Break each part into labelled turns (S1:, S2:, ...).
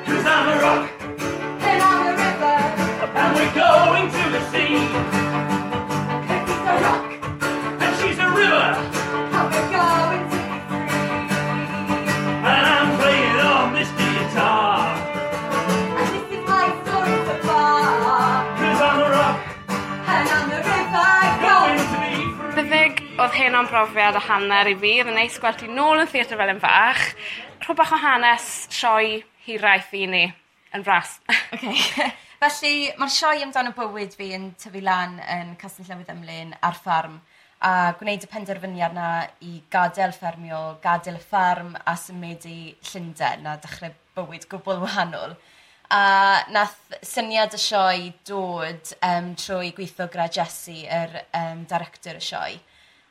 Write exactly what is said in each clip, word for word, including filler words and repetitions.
S1: Cause I'm a rock
S2: And I'm a river.
S1: And we're going to the sea.
S2: Cause he's a rock.
S1: And she's a river.
S2: And we're going to be free.
S1: And I'm playing on this guitar.
S2: And this is my story so far.
S1: Cause I'm a rock.
S2: And I'm a river.
S1: Going to be free.
S3: Buddug, oedd heno'n brofiad a hanner i fi. Oedd yn neis gweld ti nôl yn Theatr Felin Fach. Rho bach o hanes sioe Hiraeth i ni yn fras.
S2: Okay. Felly, mae'r sioe amdano bywyd fi yn tyfu lan yn Castell Newydd Emlyn ar ffarm a gwneud y penderfyniad na i gadael ffermio, gadael y ffarm a symud i Llundain a dechrau bywyd gwbl wahanol. A nath syniad y sioe dod um, trwy gweithio gyda Jessie, yr um, director y sioe.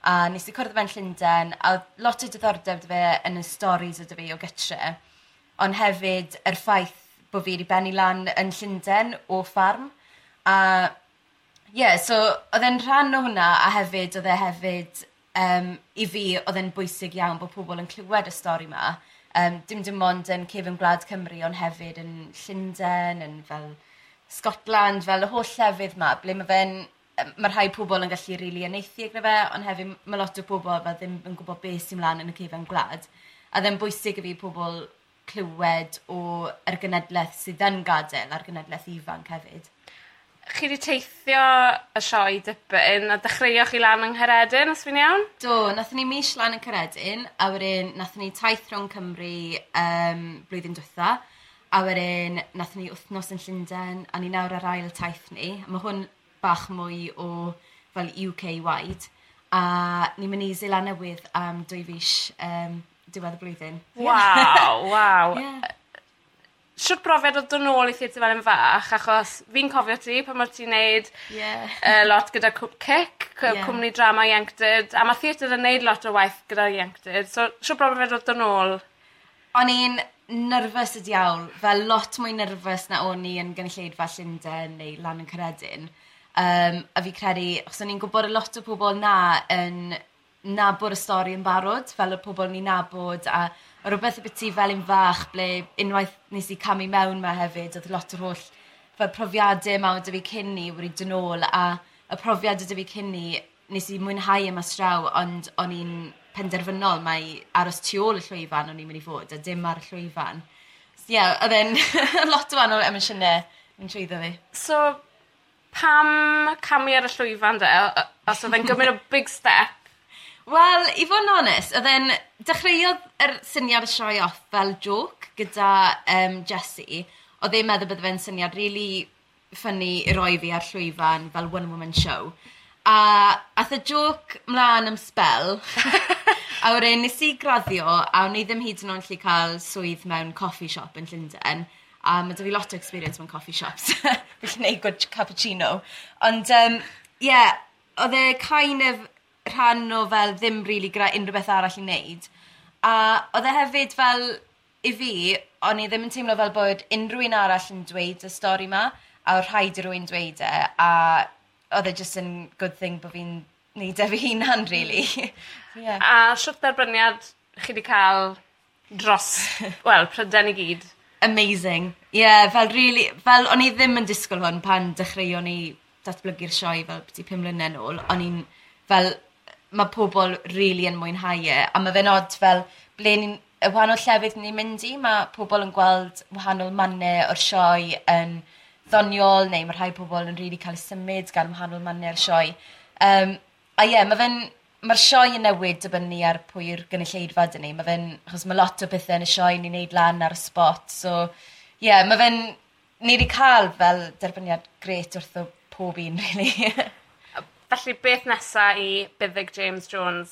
S2: A nes i cwrdd fe'n Llundain, a oedd lot o diddordeb 'da fe yn y stories o fi o gytre, ond hefyd yr ffaith bod fi wedi bennu lan yn Llundain o ffarm. A ie, yeah, so oedd e'n rhan o hwnna, a hefyd oedd e hefyd, um, i fi, oedd e'n bwysig iawn bod pobl yn clywed y stori yma. Um, dim dim ond yn cefn gwlad Cymru, ond hefyd yn Llundain, yn fel Scotland, fel y holl llefydd yma, ble mae fe'n mae rhai pobl yn gallu rili really uniaethu gyda fe, ond hefyd mae lot o bobl fel ddim yn gwybod beth sy'n mlaen yn y cefn gwlad. A ddim bwysig i fi pobl clywed o yr genedlaeth sydd yn gadael a'r genedlaeth ifanc hefyd.
S3: Chi wedi teithio y sioe dipyn a dechreuoch chi lan yng Nghaeredin, os fi'n iawn?
S2: Do, nathon ni mis lan yn Caeredin, a wedyn nathon ni taith rhwng Cymru um, blwyddyn diwetha, a wedyn nathon ni wythnos yn Llundain, a ni nawr ar ail taith ni. A mae hwn bach mwy o fel U K wide. A ni'n mynd i Seland Newydd am dwy fis um, diwedd y blwyddyn.
S3: Waw, waw.
S2: Yeah.
S3: Shwt brofiad oedd dod nôl i Theatr Felin Fach, achos fi'n cofio ti pan oedd ti'n neud
S2: Yeah.
S3: uh, lot gyda Cic,
S2: Ie.
S3: cwmni drama ieuenctid, a mae theatr yn neud lot o waith gyda ieuenctid, so shwt brofiad oedd dod nôl?
S2: O'n i'n nervous y diawl, fel lot mwy nervous na o'n i yn gynulleidfa Llundain neu lan yn Caeredin. Um, a fi credu, achos o'n i'n gwybod y lot o pobl na yn nabod y stori yn barod, fel y pobl ni'n nabod, a o rhywbeth y byti fel un fach, ble unwaith nes i camu mewn ma hefyd, oedd lot o'r holl fel profiadau yma oedd 'da fi cyn ni wedi dod nôl, a y profiad oedd 'da fi cyn ni, nes i mwynhau yma straw, ond o'n i'n penderfynol mai aros tu ôl y llwyfan o'n i'n mynd i fod, a dim ar y llwyfan. So, ie, yeah, oedd e'n lot o wahanol emosiynau yn trwyddo fi.
S3: So, pam camu ar y llwyfan de, o- os oedd e'n gymryd o big step?
S2: Wel, i fod yn onest, oedd e'n dechreuodd yr syniad y sioe off fel joke gyda um, Jessie. Oedd e'n meddwl bydde fe'n syniad really funny i roi fi ar llwyfan fel one woman show. A ath y joke mlaen am spel, a wedyn nes i graddio, a o'n i ddim hyd yn oed yn gallu cael swydd mewn coffee shop yn Llundain. A mae 'da fi lot o experience mewn coffee shops. Fi'n gwneud good cappuccino. Ond, um, yeah, oedd e kind of rhan o fel ddim really gyda unrhyw beth arall i wneud. A oedd e hefyd fel, i fi, o'n i ddim yn teimlo fel bod unrhyw un arall yn dweud y stori ma, a oedd rhaid i rywun dweud e, a oedd e just yn good thing bod fi'n neud e fi hunan, really. Yeah.
S3: A shwt dderbyniad chi wedi cael dros, wel, Prydain i gyd?
S2: Amazing. Yeah, fel really, fel o'n i ddim yn disgwyl hwn pan dechreuon ni datblygu'r sioe fel byti pum mlynedd nôl. O'n i'n fel, mae pobl really yn mwynhau e, a mae fe'n odd fel ble ni'n, y wahanol llefydd ni'n mynd i, mae pobl yn gweld wahanol mannau o'r sioe yn ddoniol, neu mae rhai pobl yn really cael eu symud gan wahanol mannau o'r sioe. Um, a ie, yeah, mae fe'n, mae'r sioe yn newid dibynnu ar pwy yw'r gynulleidfa dyn ni. Mae fe'n, achos mae lot o bethau yn y sioe ni'n neud lan ar y spot, so ie, yeah, mae fe'n, ni wedi cael fel derbyniad grêt wrtho pob un, really.
S3: Felly, beth nesa i Buddug James Jones?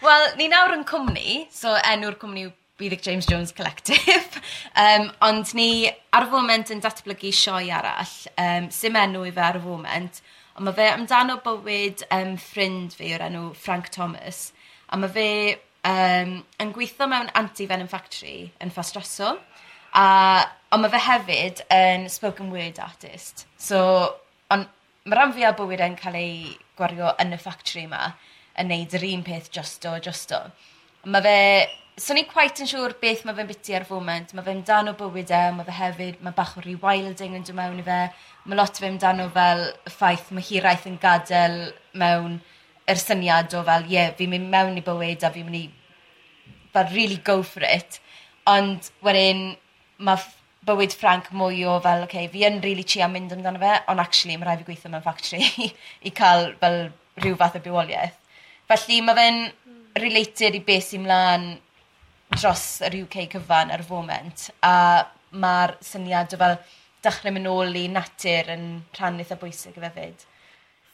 S2: Wel, ni nawr yn cwmni, so enw'r cwmni yw Buddug James Jones Collective. um, ond ni ar y foment yn datblygu sioe arall, um, sim enw i fe ar y foment, ond mae fe amdano bywyd um, ffrind fi o'r enw Frank Thomas. A mae fe um, yn gweithio mewn anti-venom factory yn Ffostrasol. A, ond mae fe hefyd yn spoken word artist. So, ond mae rhan fwyaf o bywyd e'n cael ei gwario yn y factory yma, yn neud yr un peth drosto, drosto. Mae fe So ni'n quite yn siŵr beth mae fe'n biti ar foment. Mae fe'n amdano bywyd e, mae fe hefyd, mae bach o rewilding yn dod mewn i fe. Mae lot o fe amdano fel y ffaith mae hiraeth yn gadael mewn yr syniad o fel, ie, yeah, fi'n mynd mewn i bywyd a fi'n mynd i fel really go for it. Ond wedyn mae bywyd Frank mwy o fel, okay, fi yn really trio mynd amdano fe, ond actually mae rhaid fi gweithio mewn factory i cael fel rhyw fath o bywoliaeth. Felly mae fe'n related i beth sy'n mlaen dros yr U K cyfan ar y foment, a mae'r syniad o fel dechrau mynd nôl i natur yn rhan eitha bwysig i fe fyd.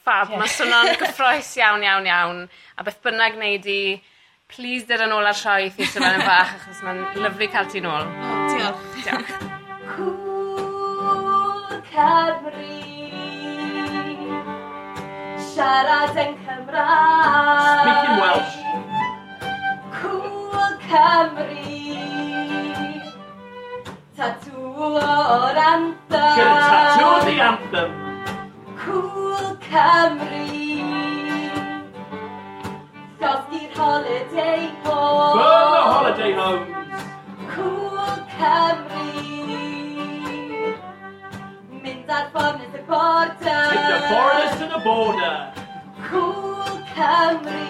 S3: Fab, yeah. Mae swnio'n gyffrous iawn, iawn, iawn. A beth bynnag wneud i, please dod yn ôl ar sioe Theatr Felin Fach, achos mae'n lyfli cael ti nôl.
S4: Oh, diolch.
S3: Diolch.
S2: Cŵl Cymru, siarad yn Cymraeg.
S1: Speaking Welsh.
S2: Cŵl Cymru, tatŵ o'r anthem.
S1: Get a tattoo of the anthem.
S2: Cŵl Cymru, llosgi'r holiday home.
S1: Burn the holiday homes.
S2: Cŵl Cymru, mynd ar foreigners y border.
S1: Take the foreigners to the border.
S2: Cŵl Cymru,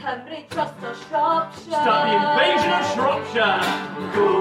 S2: Cymru dros o Shropshire.
S1: Start the invasion of Shropshire. Cŵl